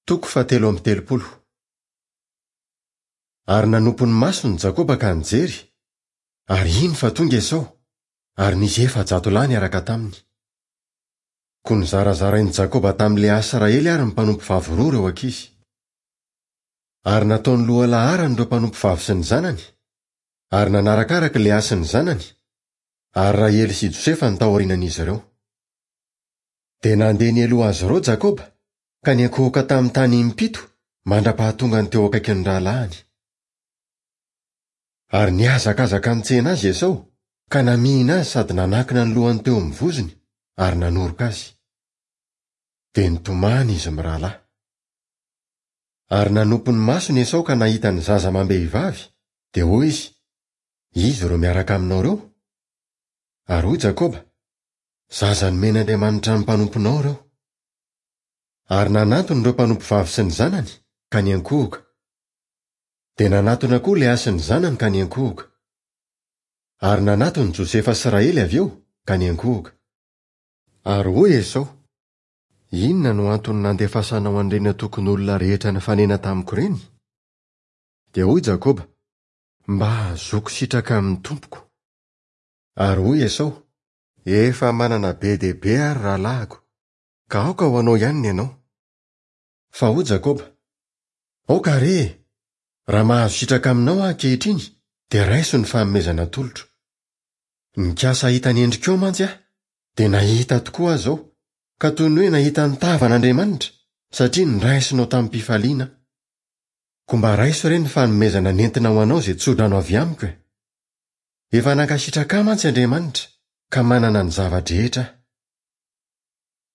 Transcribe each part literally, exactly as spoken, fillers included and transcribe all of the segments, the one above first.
Toko fahatelo amby telopolo. Ary nanompo ny masony Jakoba ka nijery, ary iny fa tonga Esao, ary nisy efajato lahy niaraka taminy. Koa nizarazarain'i Jakoba tamin'i Lea sy Rahely ary ny mpanompovavy roa ireo ankizy. Ary nataony lohalaharana ireo mpanompovavy sy ny zanany, ary nanarakaraka Lea sy ny zanany, ary Rahely sy Josefa no taorianan'izy ireo. Dia nandeha nialoha azy ireo Jakoba, ka niankohoka tamin'ny tany impito mandra-pahatongany teo akaikin'ny rahalahiny. Ary nihazakazaka nitsena azy Esao, ka namihina azy sady nanankina ny lohany teo amin'ny vozony ary nanoroka azy. Dia nitomany izy mirahalahy. Ary nanompo ny masony Esao ka nahita ny zaza amam-behivavy, dia hoy izy, Iza ireo miaraka aminao ireo? Ary hoy Jakoba, Zaza nomen'Andriamanitra ny mpanomponao ireo. Ary nanantona ireo mpanompovavy sy ny zanany, ka niankohoka. Dia nanatona koa Lea sy ny zanany ka niankohoka. Ary nanatona Josefa sy Rahely avy eo, ka niankohoka. Ary hoy Esao, Inona no antony nandefasanao an'ireny antokon'olona rehetra nifanena tamiko ireny? Dia hoy Jakoba, Mba hahazoako sitraka amin'ny tompoko. Ary hoy Esao, Efa manana be dia be aho ry rahalahiko, ka aoka ho anao ihany ny anao. Fa hoy Jakoba, Aoka re e! Raha mahazo sitraka aminao aho ankehitriny, dia raiso ny fanomezana atolotro. Nikasa hahita ny endrikao mantsy aho, dia nahita tokoa aho izao, ka toy ny hoe nahita ny tavan'Andriamanitra, satria noraisinao tamim-pifaliana aho. Koa mba raiso re ny fanomezana nentina ho anao izay tso-drano avy amiko e! Efa nankasitraka ahy mantsy Andriamanitra, ka manana ny zava-drehetra aho.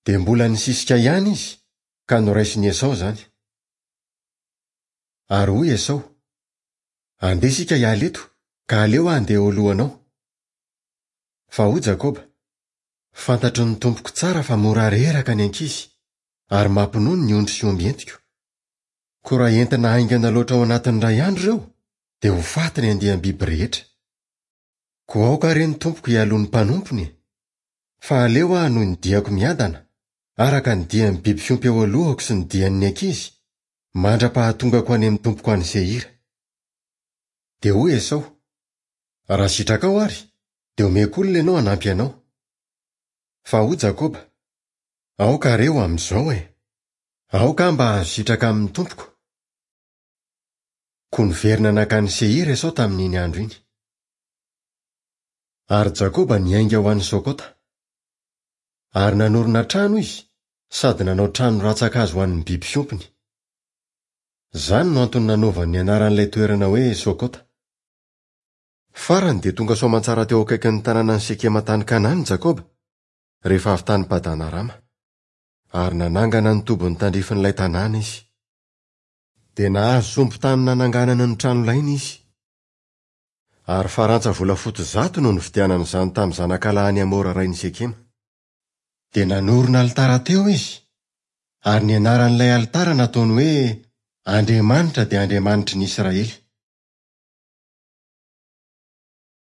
Dia mbola nisisika ihany izy, ka noraisin'i Esao izany. Ary hoy Esao, Andeha isika hiala eto, ka aleo aho handeha eo alohanao. Fa hoy Jakoba, Fantatry ny tompoko tsara fa mora reraka ny ankizy, ary mampinono ny ondry sy omby entiko. Koa raha entina haingana loatra ao anatin'ny iray andro ireo, dia ho faty ny andiam-biby rehetra. Koa aoka re ny tompoko hialoha ny mpanompony e! Fa aleo aho hanohy ny diako miadana, araka ny dian'ny biby fiompy eo alohako sy ny dian'ny ankizy, mandra-pahatongako any amin'ny tompoko any Seira. Dia hoy Esao, Raha sitrakao àry, dia omeko olona ianao hanampy anao. Fa hoy Jakoba, Aoka re ho amin'izao e! Aoka aho mba hahazo sitraka amin'ny tompoko. Koa niverina nankany Seira Esao tamin'iny andro iny. Ary Jakoba niainga ho any Sokota. Ary nanorina trano izy, sady nanao trano rantsan-kazo ho an'ny biby fiompiny. Izany no antony nanaovany ny anaran'ilay toerana hoe Sokota. Farany dia tonga soamantsara teo akaikin'ny tanànan'i Sekema tany Kanana i Jakoba, rehefa avy tany Padan-arama. Ary nanangana ny tobiny tandrifin'ilay tanàna izy. Dia nahazo sombin-tany nananganana ny tranolainy izy. Ary farantsa volafotsy zato no nividianany izany tamin'ny zanakalahin'i Hamora rain'i Sekema. Dia nanorina alitara teo izy, ary ny anaran'ilay alitara nataony hoe Andriamanitra dia Andriamanitry ny Israely.